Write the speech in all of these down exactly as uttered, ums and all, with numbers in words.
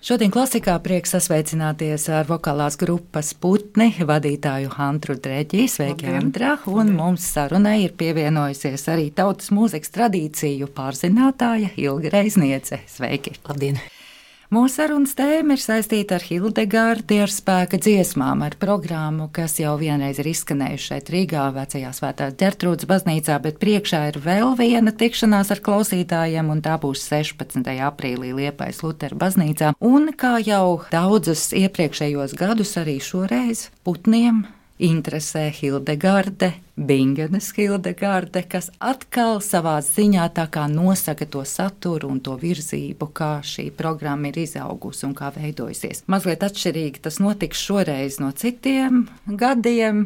Šodien klasikā prieks sasveicināties ar vokālās grupas Putni vadītāju Antru Dreģi. Sveiki, Antra! Un mums sarunai ir pievienojusies arī tautas mūzikas tradīciju pārzinātāja Ilga Reizniece. Sveiki! Labdien! Mūsu sarunas tēma ir saistīta ar Hildegardi, ar spēka dziesmām, ar programmu, kas jau vienreiz ir izskanējuši šeit Rīgā, vecajā Svētās Ģertrūdes baznīcā, bet priekšā ir vēl viena tikšanās ar klausītājiem, un tā būs sešpadsmitajā aprīlī Liepājas Lutera baznīcā. Un kā jau daudzus iepriekšējos gadus, arī šoreiz Putniem interesē Hildegarde, Bingenes Hildegarde, kas atkal savā ziņā tā kā nosaka to saturu un to virzību, kā šī programma ir izaugusi un kā veidojusies. Mazliet atšķirīgi tas notiks šoreiz no citiem gadiem,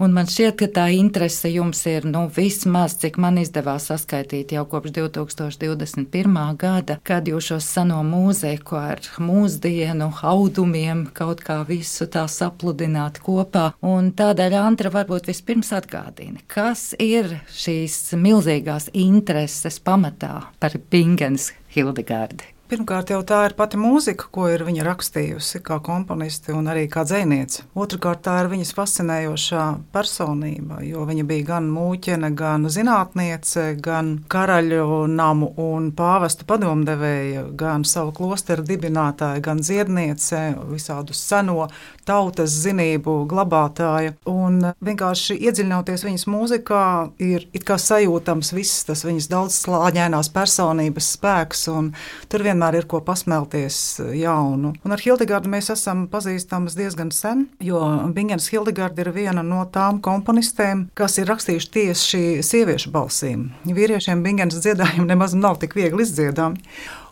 un man šķiet, ka tā interese jums ir, nu, vismaz, cik man izdevās saskaitīt jau kopš divi tūkstoši divdesmit pirmā gada, kad jūs šo seno mūziku ar mūsdienu audumiem kaut kā visu tā sapludināt kopā, un tādēļ Antra varbūt vispirms atgādina. Kas ir šīs milzīgās intereses pamatā par Bingenes Hildegardi? Pirmkārt, jau tā ir pati mūzika, ko ir viņa rakstījusi kā komponisti un arī kā dzejniece. Otrakārt, tā ir viņas fascinējošā personība, jo viņa bija gan mūķene, gan zinātniece, gan karaļu namu un pāvesta padomdevēja, gan savu klosteru dibinātāja, gan dziedniece, visādu seno tautas zinību glabātāja. Un vienkārši iedziļinoties viņas mūzikā, ir it kā sajūtams viss tas viņas daudzslāņainās personības spēks, un tur vienmēr ir ko pasmelties jaunu. Un ar Hildegardu mēs esam pazīstamas diezgan sen, jo Bingenes Hildegarde ir viena no tām komponistēm, kas ir rakstījuši tieši sieviešu balsīm. Vīriešiem Bingenes dziedājumi nemaz nav tik viegli izdziedami.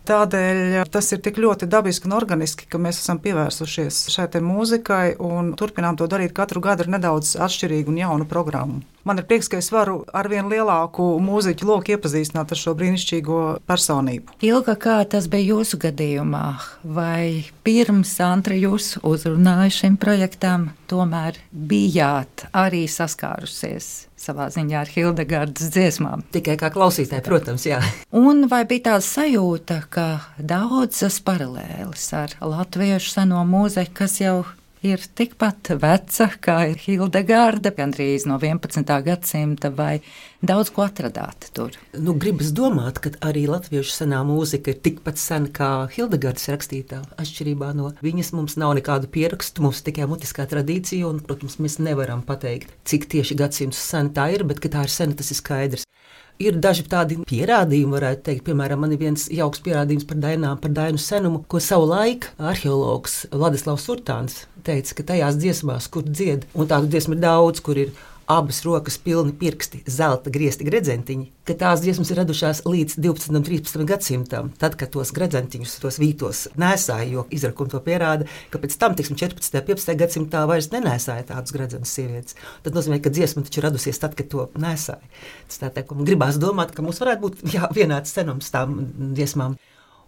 Tādēļ tas ir tik ļoti dabiski un organiski, ka mēs esam pievērsušies šai te mūzikai un turpinām to darīt katru gadu ar nedaudz atšķirīgu un jaunu programmu. Man ir prieks, ka es varu ar vien lielāku mūziķu loku iepazīstināt ar šo brīnišķīgo personību. Ilga, kā tas bija jūsu gadījumā? Vai pirms Antra jūs uzrunāja šim projektam, tomēr bijāt arī saskārusies savā ziņā ar Hildegardas dziesmām? Tikai kā klausītāji, protams, jā. Un vai bija tāda sajūta, ka daudzas paralēles ar latviešu seno mūziku, kas jau ir tikpat veca kā ir Hildegarde, gandrīz no vienpadsmitā gadsimta, vai daudz ko atradāt tur? Nu, gribas domāt, ka arī latviešu senā mūzika ir tikpat sena kā Hildegardes rakstītā. Atšķirībā no viņas mums nav nekādu pierakstu, mums tikai mutiskā tradīcija, un, protams, mēs nevaram pateikt, cik tieši gadsimtus sena tā ir, bet ka tā ir sena, tas ir skaidrs. Ir daži tādi pierādījumi, varētu teikt, piemēram, man ir viens jauks pierādījums par dainām, par dainu senumu, ko savu laiku arheologs Vladislavs Urtāns teica, ka tajās dziesmās, kur dzied, un tādu dziesmu ir daudz, kur ir abas rokas pilni pirksti, zelta griezti gredzentiņi, ka tās dziesmas ir radušās līdz divpadsmitam, trīspadsmitam gadsimtam, tad, kad tos gredzentiņus, tos vītos nēsāja, jo izrakumi to pierāda, ka pēc tam, tiksim, četrpadsmitajā, piecpadsmitajā gadsimtā vairs nenēsāja tādus gredzenus sievietes. Tad nozīmē, ka dziesma taču radusies tad, kad to nēsāja. Tas tā tā, ka gribās domāt, ka mums varētu būt jā, vienāds senums tām dziesmām.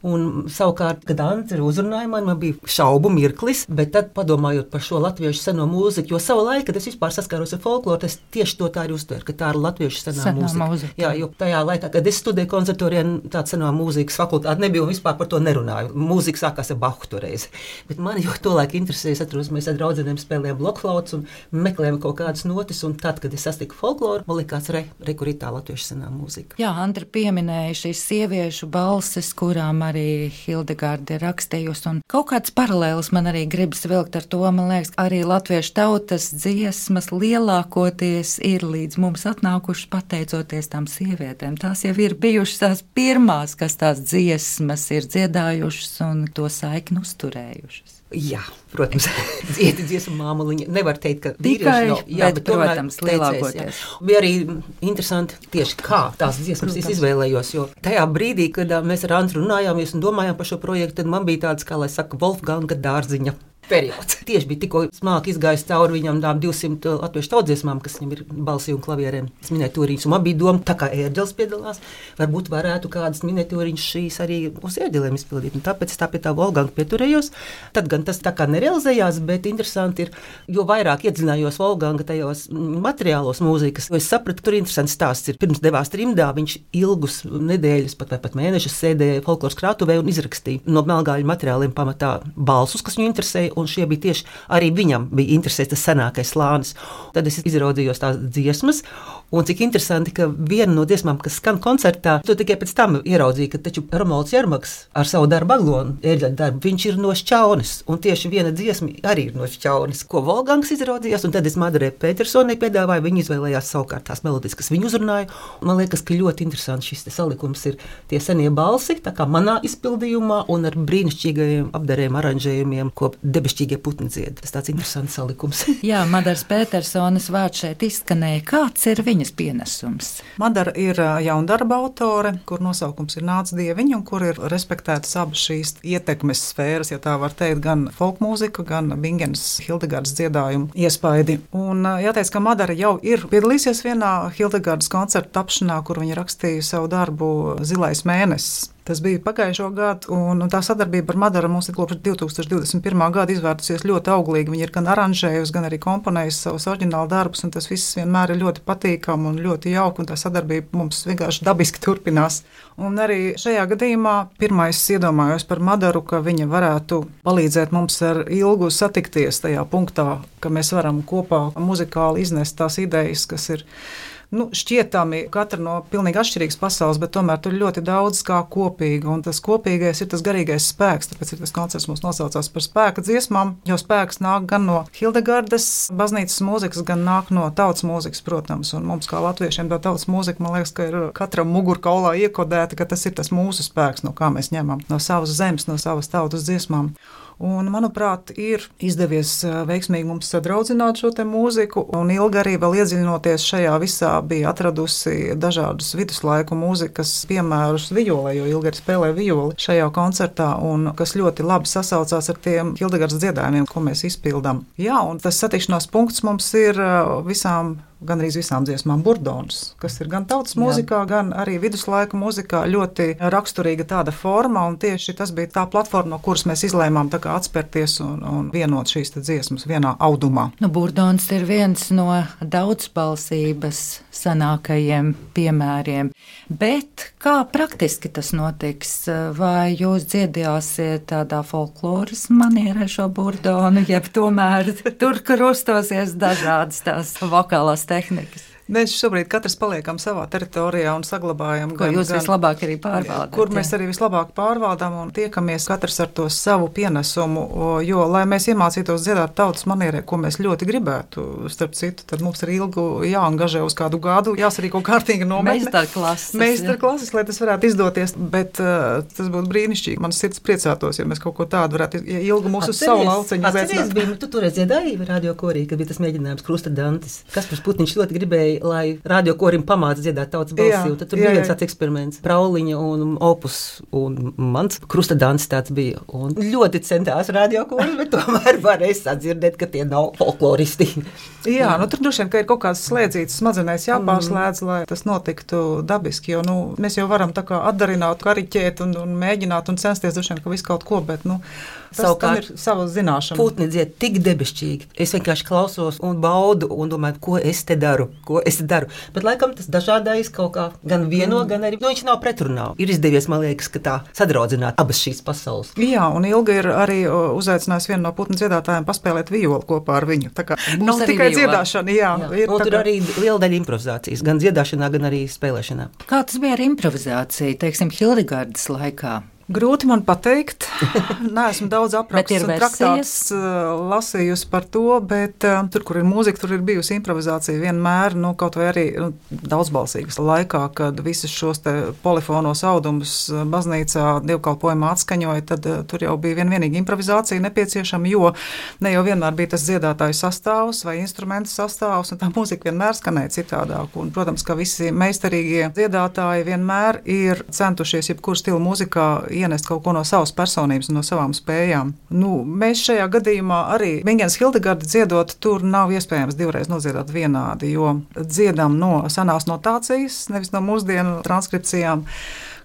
Un savukārt, kad Antra uzrunāja mani, man bija šaubu mirklis, bet tad padomājot par šo latviešu seno mūziku, jo savu laiku, kad es vispār saskāros ar folkloru, es tieši to tā arī uztveru, ka tā ir latviešu senā, senā mūzika. mūzika. Jā, jo tajā laikā, kad es studēju konservatorijā, tāda senā mūzikas fakultāte nebija un vispār par to nerunāju. Mūzika sākās ar Bahu toreiz. Bet mani jau to laiku interesēja, es atceros, mēs ar draudzenēm spēlējām blokflautus un meklējām kaut kādas notis, un tad, kad es sastiku folkloru, man likās, re, re, kur ir tā latviešu senā mūzika. Jā, Antra pieminēja šīs sieviešu balses, kurām arī Hildegarde ir rakstījusi, un kaut kāds paralēlis man arī gribas vilkt ar to, man liekas, arī latviešu tautas dziesmas lielākoties ir līdz mums atnākušas pateicoties tām sievietēm. Tās jau ir bijušas tās pirmās, kas tās dziesmas ir dziedājušas un to saikni uzturējušas. Jā, protams, dziedi dziesmu māmuliņa. Nevar teikt, ka tikai, nav, jā, bet, bet protams, lielākoties. Teicēs, bija arī interesanti tieši, kā tās dziesmas es izvēlējos, jo tajā brīdī, kad mēs ar Antru runājāmies un domājām par šo projektu, tad man bija tāds, kā lai saka, Wolfganga dārziņa periods. Tieši bija tikko smalki izgājis cauri viņam tām divsimt latviešu tautsdziesmām, kas viņam ir balsī un klavierēm. Es miniatūriņas, un man bija doma, tā kā ērģelis piedalās, varbūt varētu kādas miniatūriņas šīs arī uz ērģelēm izpildīt. Un tāpēc es tā pie tā Volganga pieturējos. Tad gan tas tā kā nerealizējās, bet interesanti ir, jo vairāk iedzinājos Volganga tajos materiālos mūzikas, jo es sapratu, ka tur interesants stāsts ir. Pirms devās trimdā, viņš ilgus nedēļas, pat vai pat mēnešus sēdēja folkloras krātuvē un izrakstīja no melngāļu materiāliem pamatā balsus, kas viņu interesēja. Un šie bija tieši arī viņam bija interesēs tas senākais slānis. Tad es izraudzījos tās dziesmas, un cik interesanti, ka viena no dziesmām, kas skan koncertā, to tikai pēc tam ieraudzīja, ka taču Romualds Jermaks ar savu darbu Aglonu, ērģeļa darbu, viņš ir no Šķaunes, un tieši viena dziesma arī ir no Šķaunes, ko Volgangs izraudzījās, un tad es Madarē Petersonai piedāvāju, viņi izvēlējās savukārt tās melodijas, kas viņu uzrunāja, un man liekas, ka ļoti interesants šis salikums ir tie senie balsi, tā kā manā izpildījumā, un ar brīnišķīgajiem apdariem, aranžējumiem, ko debešķīgie putni dzied. Tas tāds interesants salikums. Jā, Madaras Petersonas vārds šeit izskanēja. Kāds ir viņas pienesums? Madara ir jaundarba autore, kur nosaukums ir Nāc Dieviņa, un kur ir respektētas abas šīs ietekmes sfēras, ja tā var teikt, gan folkmūzika, gan Bingenas Hildegardas dziedājumu iespaidi. Un jāteic, ka Madara jau ir piedalīsies vienā Hildegardas koncerta tapšanā, kur viņa rakstīja savu darbu Zilais mēnesis. Tas bija pagājušo gadu, un, un tā sadarbība ar Madaru mums ir kopš divi tūkstoši divdesmit pirmā gada izvērtusies ļoti auglīgi. Viņa ir gan aranžējusi, gan arī komponējusi savus oriģinālu darbus, un tas viss vienmēr ir ļoti patīkami un ļoti jauki, un tā sadarbība mums vienkārši dabiski turpinās. Un arī šajā gadījumā pirmais iedomājos par Madaru, ka viņa varētu palīdzēt mums ar Ilgu satikties tajā punktā, ka mēs varam kopā muzikāli iznest tās idejas, kas ir Nu, šķietami katra no pilnīgi atšķirīgas pasaules, bet tomēr tur ir ļoti daudz kā kopīga, un tas kopīgais ir tas garīgais spēks, tāpēc ir tas koncerts mums nosaucās par spēka dziesmām, jo spēks nāk gan no Hildegardas baznīcas mūzikas, gan nāk no tautas mūzikas, protams, un mums kā latviešiem tā tautas mūzika, man liekas, ka ir katram mugurkaulā iekodēta, ka tas ir tas mūsu spēks, no kā mēs ņemam, no savas zemes, no savas tautas dziesmām. Un, manuprāt, ir izdevies veiksmīgi mums sadraudzināt šo te mūziku, un Ilga arī vēl iedziļinoties šajā visā bija atradusi dažādus viduslaiku mūzikas piemērus violē, jo Ilga arī spēlē violi šajā koncertā, un kas ļoti labi sasaucās ar tiem Hildegardas dziedājumiem, ko mēs izpildām. Jā, un tas satikšanās punkts mums ir visām gan arī visām dziesmām burdons, kas ir gan tautas mūzikā, Jā. gan arī viduslaiku mūzikā ļoti raksturīga tāda forma, un tieši tas bija tā platforma, no kuras mēs izlēmām tā kā atspērties un, un vienot šīs dziesmas vienā audumā. Nu, burdons ir viens no daudzbalsības senākajiem piemēriem, bet kā praktiski tas notiks? Vai jūs dziedāsiet tādā folkloras manierē šo burdonu, jeb tomēr tur krustosies dažādas tās vokālās tehnikas? Mēs šobrīd katrs paliekam savā teritorijā un saglabājam. Ko gan, jūs gan, vislabāk arī pārvaldāt. Kur mēs jā. arī vislabāk pārvaldām un tiekamies katrs ar to savu pienesumu, jo, lai mēs iemācītos dziedāt tautas manierē, ko mēs ļoti gribētu, starp citu, tad mums ir ilgu jāangažē uz kādu gadu, jāsarīko kārtīgi nometne. Meistarklases. Meistarklases, lai tas varētu izdoties, bet uh, tas būtu brīnišķīgi. Man sirds priecātos, ja mēs kaut ko tādu varētu, ja Ilgu mūsu uz savu lauceņu uzaicināt. Bija, tu toreiz dziedāji radio korī, kad bija tas mēģinājums Krusta Dantis. Kaspars Putniņš ļoti gribēja, lai radio korim pamāca dziedāt tautas balsī, un tad tur jā, bija viens tāds eksperiments. Prauliņa un Opus, un mans Krusta Dantis tāds bija. Un ļoti centās radio koris, bet tomēr varēja sadzirdēt, ka tie nav folkloristi. Jā, nu tur droši vien, ka ir kaut kāds slēdzītas smadzenēs jāpārslēdz, lai tas notiktu dabiski, jo, nu, mēs jau varam tā kā atdarināt, kariķēt un, un mēģināt un censties droši vien, ka visu kaut ko, bet, nu, tas savukārt ir sava zināšana. Putni dzied tik debešķīgi. Es vienkārši klausos un baudu un domāju, ko es te daru, ko es te daru. Bet laikam tas dažādais kaut kā gan vieno, mm. gan arī, nu viņš nav pretrunā. Ir izdevies, man liekas, ka tā sadraudzināt abas šīs pasaules. Jā, un Ilga ir arī uzaicinājusi vienu no putnu dziedātājiem paspēlēt violi kopā ar viņu. Tā kā nav tikai viola. Dziedāšana, jā. jā. Ir, un tur kā... arī liela daļa improvizācijas, gan dziedāšanā, gan arī spēlēšanā. Kā tas bija ar improvizāciju, teiksim, Hildegardas laikā? Grūti man pateikt. Neesmu daudz aprakstus un traktātus uh, lasījusi par to, bet uh, tur, kur ir mūzika, tur ir bijusi improvizācija vienmēr, nu, kaut vai arī nu, daudzbalsīgas laikā, kad visus šos te polifonos audumus baznīcā dievkalpojumā atskaņoja, tad uh, tur jau bija vien vienīgi improvizācija nepieciešama, jo ne jau vienmēr bija tas dziedātāju sastāvs vai instrumentu sastāvs, un tā mūzika vienmēr skanēja citādāk. Un, protams, ka visi meistarīgie dziedātāji vienmēr ir centušies jebkuru stilu mūzikā ienest kaut ko no savas personības, no savām spējām. Nu, mēs šajā gadījumā arī Bingenes Hildegardi dziedot, tur nav iespējams divreiz nodziedāt vienādi, jo dziedam no senās notācijas, nevis no mūsdienu transkripcijām,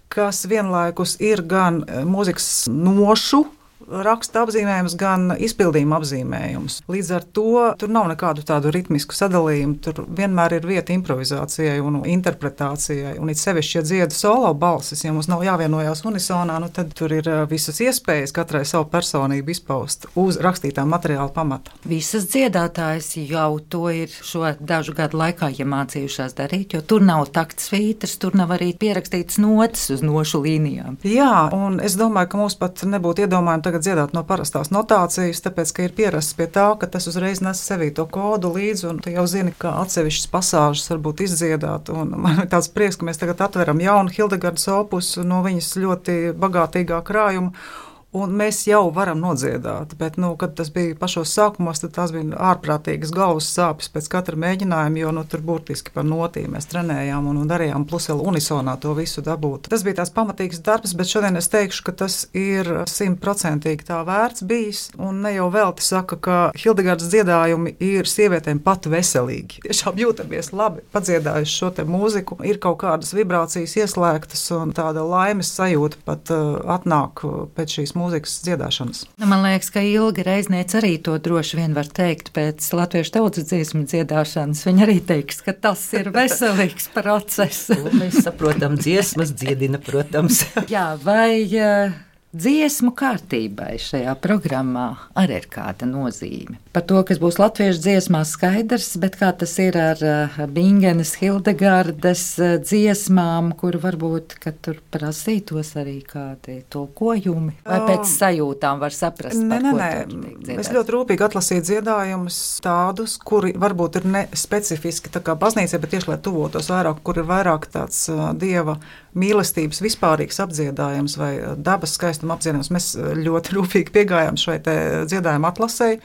kas vienlaikus ir gan mūzikas nošu raksta apzīmējums, gan izpildījuma apzīmējums. Līdz ar to tur nav nekādu tādu ritmisku sadalījumu, tur vienmēr ir vieta improvizācijai un interpretācijai, un it sevišķi, ja dziedu solo balsis, ja mums nav jāvienojās unisonā, nu tad tur ir visas iespējas katrai savu personību izpaust uz rakstītā materiāla pamata. Visas dziedātājas jau to ir šo dažu gadu laikā iemācījušās darīt, jo tur nav takts svītras, tur nav arī pierakstīts notis uz nošu līnijām. Jā, un es domāju, ka mums pat nebūtu iedomājumi tagad dziedāt no parastās notācijas, tāpēc, ka ir pierasts pie tā, ka tas uzreiz nes sevī to kodu līdzi, un tu jau zini, kā atsevišķas pasāžas varbūt izdziedāt, un man ir tāds prieks, ka mēs tagad atveram jaunu Hildegardas opusu no viņas ļoti bagātīgā krājuma, un mēs jau varam nodziedāt, bet, nu, kad tas bija pašos sākumos, tad tās bija ārprātīgas galvas sāpes pēc katra mēģinājuma, jo, nu, tur burtiski par notīm mēs trenējām un, un darījām, plus vēl unisonā to visu dabūt. Tas bija tās pamatīgs darbs, bet šodien es teikšu, ka tas ir simtprocentīgi tā vērts bijis, un ne jau velti saka, ka Hildegardas dziedājumi ir sievietēm pat veselīgi. Tiešām jūtamies labi, padziedājuši šo te mūziku, ir kaut kādas vibrācijas ieslēgtas, un tāda laimes sajūta pat uh, atnāk pēc šīs mūzikas dziedāšanas. Nu, man liekas, ka Ilga Reizniece arī to droši vien var teikt pēc latviešu tautas dziesmu dziedāšanas. Viņa arī teiks, ka tas ir veselīgs process. Mēs saprotam, dziesmas dziedina, protams. Jā, vai uh, dziesmu kārtībai šajā programmā arī ir kāda nozīme? Par to, kas būs latviešu dziesmās skaidrs, bet kā tas ir ar uh, Bingenes Hildegardas uh, dziesmām, kur varbūt, ka tur prasītos arī kādi tulkojumi, vai pēc sajūtām var saprast, nē, par nē, ko nē. tur tiek dziedāts? Es ļoti rūpīgi atlasīju dziedājumus tādus, kuri varbūt ir ne specifiski tā kā baznīcai, bet tieši, lai tuvotos vairāk, kur ir vairāk tāds uh, dieva mīlestības vispārīgs apdziedājums vai dabas skaistuma apdziedājums. Mēs ļoti rūpīgi piegājām šai te dziedājuma atlasei,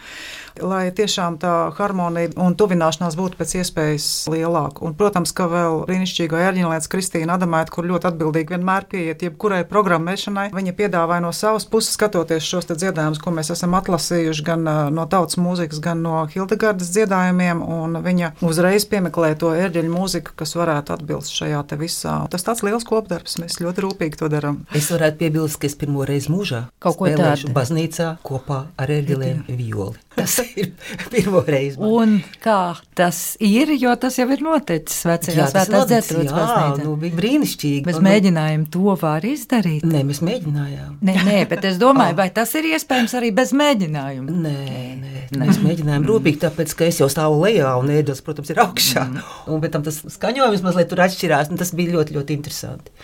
lai tiešām tā harmonija un tuvināšanās būtu pēc iespējas lielāka. Un, protams, ka vēl brīnišķīgo ērģinlietas Kristīna Adamaita, kur ļoti atbildīgi vienmēr pieiet jebkurai programmēšanai. Viņa piedāvāja no savas puses, skatoties šos te dziedājumus, ko mēs esam atlasījuši gan no tautas mūzikas, gan no Hildegardas dziedājumiem, un viņa uzreiz piemeklē to ērģeļu mūziku, kas varētu atbilst šajā te visā. Tas tāds liels kopdarbs, mēs ļoti rūpīgi to darām. Es varētu piebilst, ka es pirmo reizi mūžā kaut ko spēlēšu tādu baznīcā kopā ar ērģelēm violi. Tas ir pirmo reizi. Man. Un kā tas ir, jo tas jau ir noticis vecajā Svētās Ģertrūdes baznīcā. Nu, bija brīnišķīgi. Bez un, mēģinājumu to var izdarīt? Nē, mēs mēģinājām. Nē, nē, bet es domāju, vai tas ir iespējams arī bez mēģinājuma? Nē, nē, nē. Mēs mēģinājām rūpīgi, tāpēc, ka es jau stāvu lejā un ēdels, protams, ir augšā. Mm. Un pēc tam tas skaņojums mazliet tur atšķirās, un tas bija ļoti, ļoti interesanti.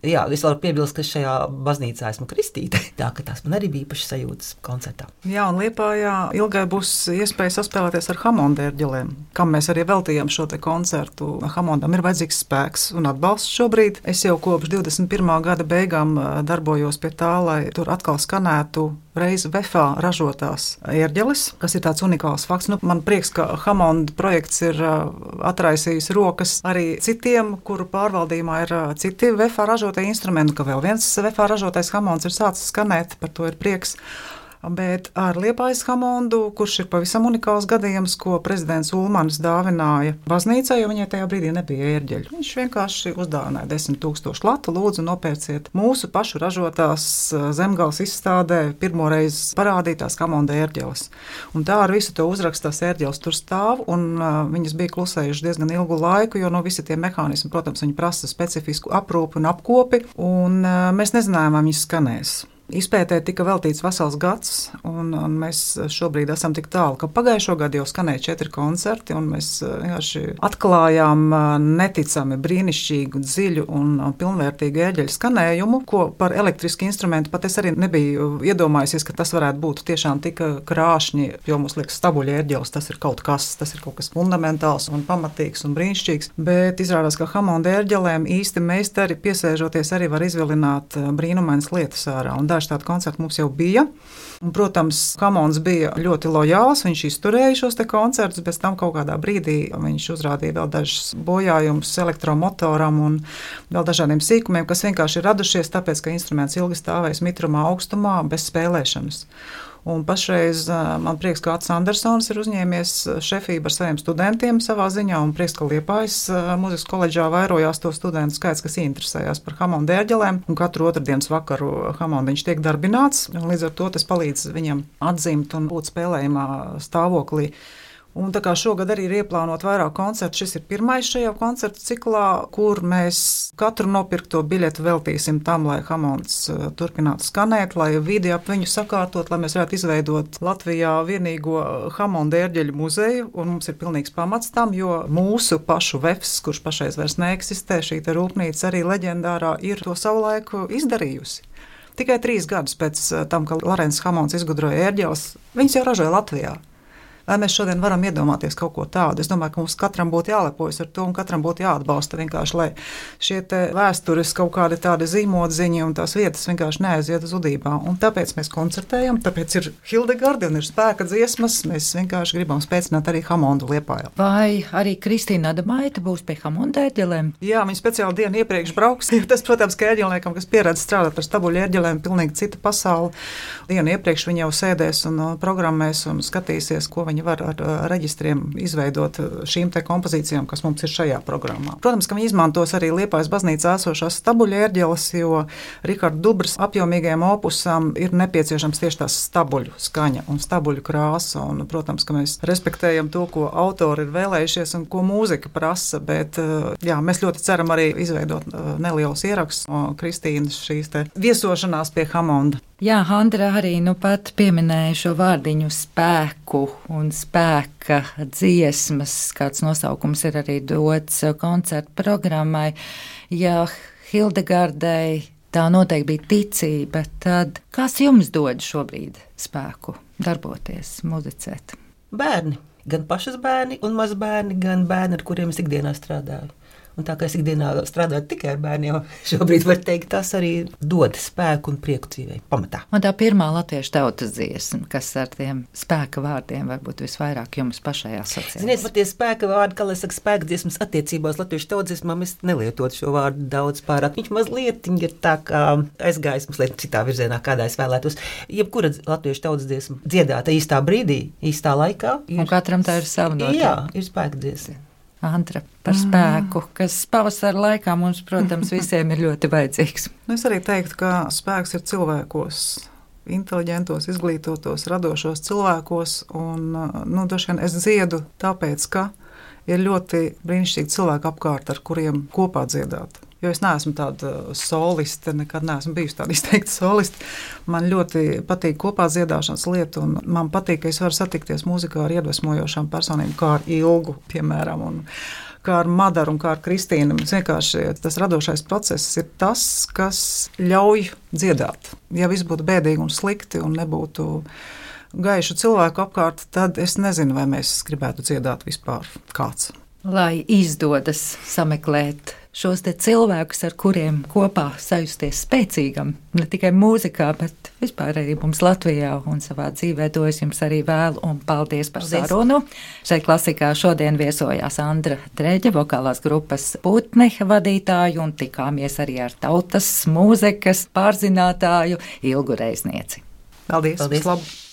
Jā, es varu piebilst, ka šajā baznīcā esmu kristīta, tā ka tās man arī bija īpašas sajūtas koncertā. Jā, un Liepājā Ilgai būs iespēja saspēlēties ar Hamonda ērģelēm, kam mēs arī veltījām šo te koncertu. Hamondam ir vajadzīgs spēks un atbalsts šobrīd. Es jau kopš divdesmit pirmā gada beigām darbojos pie tā, lai tur atkal skanētu reiz vefā ražotās ērģeles, kas ir tāds unikāls fakts. Nu, man prieks, ka Hamonda projekts ir atraisījis rokas arī citiem, kuru pārvaldījumā ir citi vefā ražotie instrumenti, ka vēl viens vefā ražotais Hamonds ir sācis skanēt, par to ir prieks. Bet ar Liepājas Hamondu, kurš ir pavisam unikāls gadījums, ko prezidents Ulmanis dāvināja baznīcai, jo viņai tajā brīdī nebija ērģeļu. Viņš vienkārši uzdāvināja desmit tūkstošu latu, lūdzu nopērciet mūsu pašu ražotās Zemgales izstādē pirmoreiz parādītās Hamonda ērģeles. Un tā ar visu to uzrakstās ērģeles tur stāv, un uh, viņas bija klusējuši diezgan ilgu laiku, jo no visi tie mehānismi, protams, viņi prasa specifisku aprūpi un apkopi, un uh, mēs nezinājām, vai viņas skanēs. Izpētē tika veltīts vesels gads, un, un mēs šobrīd esam tik tālu, ka pagājušo gadu jau skanēja četri koncerti, un mēs vienkārši atklājām neticami brīnišķīgu, dziļu un pilnvērtīgu ērģeļu skanējumu, ko par elektrisku instrumentu pat es arī nebiju iedomājusies, ka tas varētu būt tiešām tik krāšņi, jo mums liekas stabuļa ērģeles, tas ir kaut kas, tas ir kaut kas fundamentāls un pamatīgs un brīnišķīgs, bet izrādās, ka Hamonda ērģelēm īsti meistari piesēžoties arī var izvilināt brīnumainas lietas ārā, un daži universitātes koncerti mums jau bija. Un, protams, Hamons bija ļoti lojāls, viņš izturēja šos te koncertus, bez tam kaut kādā brīdī viņš uzrādīja vēl dažus bojājumus elektromotoram un vēl dažādiem sīkumiem, kas vienkārši ir radušies tāpēc, ka instruments ilgi stāvēs mitrumā, augstumā, bez spēlēšanas. Un pašreiz man prieks, ka Ats Andersons ir uzņēmies šefību ar saviem studentiem savā ziņā, un prieks, ka Liepājas mūzikas koledžā vairojās to studentu skaits, kas interesējās par Hamonda ērģelēm, un katru otrdienas vakaru Hamondiņš tiek darbināts, un līdz ar to tas palīdz viņam atzimt un būt spēlējumā stāvoklī. Un tā kā šogad arī ir ieplānot vairāk koncertu, šis ir pirmais šajā koncertu ciklā, kur mēs katru nopirkto biļetu veltīsim tam, lai Hamonds turpinātu skanēt, lai vidi ap viņu sakārtot, lai mēs varētu izveidot Latvijā vienīgo Hamonda ērģeļu muzeju, un mums ir pilnīgs pamats tam, jo mūsu pašu vefs, kurš pašreiz vairs neeksistē, šī te rūpnīca arī leģendārā, ir to savulaiku izdarījusi. Tikai trīs gadus pēc tam, ka Larens Hamonds izgudroja ērģeles, viņas jau ražoja Latvijā. Vai mēs šodien varam iedomāties kaut ko tādu? Es domāju, ka mums katram būtu jālepojas ar to un katram būtu jāatbalsta vienkārši, lai šie te vēstures kaut kādi tādi zīmodziņi un tās vietas vienkārši neaiziet zudībā. Un tāpēc mēs koncertējam, tāpēc ir Hildegarde un ir spēka dziesmas, mēs vienkārši gribam spēcināt arī Hamondu Liepājā. Vai arī Kristīna Adamaite būs pie Hamonda ērģelēm? Jā, viņa speciāli dienu iepriekš brauks. Tas, protams, ka ērģelniekam, kas pieredz strādāt ar stabuļu ērģelēm, pilnīgi cita pasaule. Dienu iepriekš viņa jau sēdēs un programmēs un skatīsies, ko viņi var ar reģistriem izveidot šīm te kompozīcijām, kas mums ir šajā programmā. Protams, ka viņi izmantos arī Liepājas baznīcā esošās stabuļu ērģeles, jo Riharda Dubras apjomīgajam opusam ir nepieciešams tieši tās stabuļu skaņa un stabuļu krāsa. Un, protams, ka mēs respektējam to, ko autori ir vēlējušies un ko mūzika prasa, bet jā, mēs ļoti ceram arī izveidot nelielus ierakstus no Kristīnas šīs te viesošanās pie Hamonda. Jā, Andra arī nu pat pieminēja šo vārdiņu spēku un spēka dziesmas, kāds nosaukums ir arī dots koncertu programmai. Ja Hildegardei tā noteikti bija ticība, tad kas jums dod šobrīd spēku darboties, muzicēt? Bērni, gan pašas bērni un mazbērni, gan bērni, ar kuriem es ikdienā strādāju. Un tā kā es ikdienā strādāju tikai ar bērniem, šobrīd var teikt, tas arī dod spēku un prieku dzīvei pamatā. Un tā pirmā latviešu tautas dziesma, kas ar tiem spēka vārdiem varbūt visvairāk jums pašai asociējas. Ziniet, pat tie spēka vārdi, kā lai saka, spēka dziesmas attiecībās latviešu tautas dziesmām, es nelietot šo vārdu daudz pārāk. Viņš mazliet ir tā kā aizgājis mums liet citā virzienā, kādā es vēlētos. Jebkura latviešu tautas dziesma dziedāta īstā brīdī, īstā laikā. Ir, un katram tā ir sava notiek. Jā, ir spēka dziesma. Antra, par spēku, kas pavasara laikā mums, protams, visiem ir ļoti vajadzīgs. Es arī teiktu, ka spēks ir cilvēkos, inteliģentos, izglītotos, radošos cilvēkos, un, nu, droši vien es dziedu tāpēc, ka ir ļoti brīnišķīgi cilvēki apkārt, ar kuriem kopā dziedāt. Jo es neesmu tāda soliste, nekad neesmu bijusi tāda izteikta soliste. Man ļoti patīk kopā dziedāšanas lieta, un man patīk, ka es varu satikties mūzikā ar iedvesmojošām personībām, kā ar Ilgu, piemēram, un kā ar Madaru un kā ar Kristīnu. Vienkārši tas radošais process ir tas, kas ļauj dziedāt. Ja viss būtu bēdīgi un slikti un nebūtu gaišu cilvēku apkārt, tad es nezinu, vai mēs gribētu dziedāt vispār kāds. Lai izdodas sameklēt šos te cilvēkus, ar kuriem kopā sajusties spēcīgam, ne tikai mūzikā, bet vispār arī mums Latvijā un savā dzīvē, to es jums arī vēlu un paldies par paldies. Sarunu. Šeit klasikā šodien viesojās Andra Dreģe, vokālās grupas Putne vadītāju, un tikāmies arī ar tautas mūzikas pārzinātāju Ilgu Reiznieci. Paldies! Paldies. Vislabāk!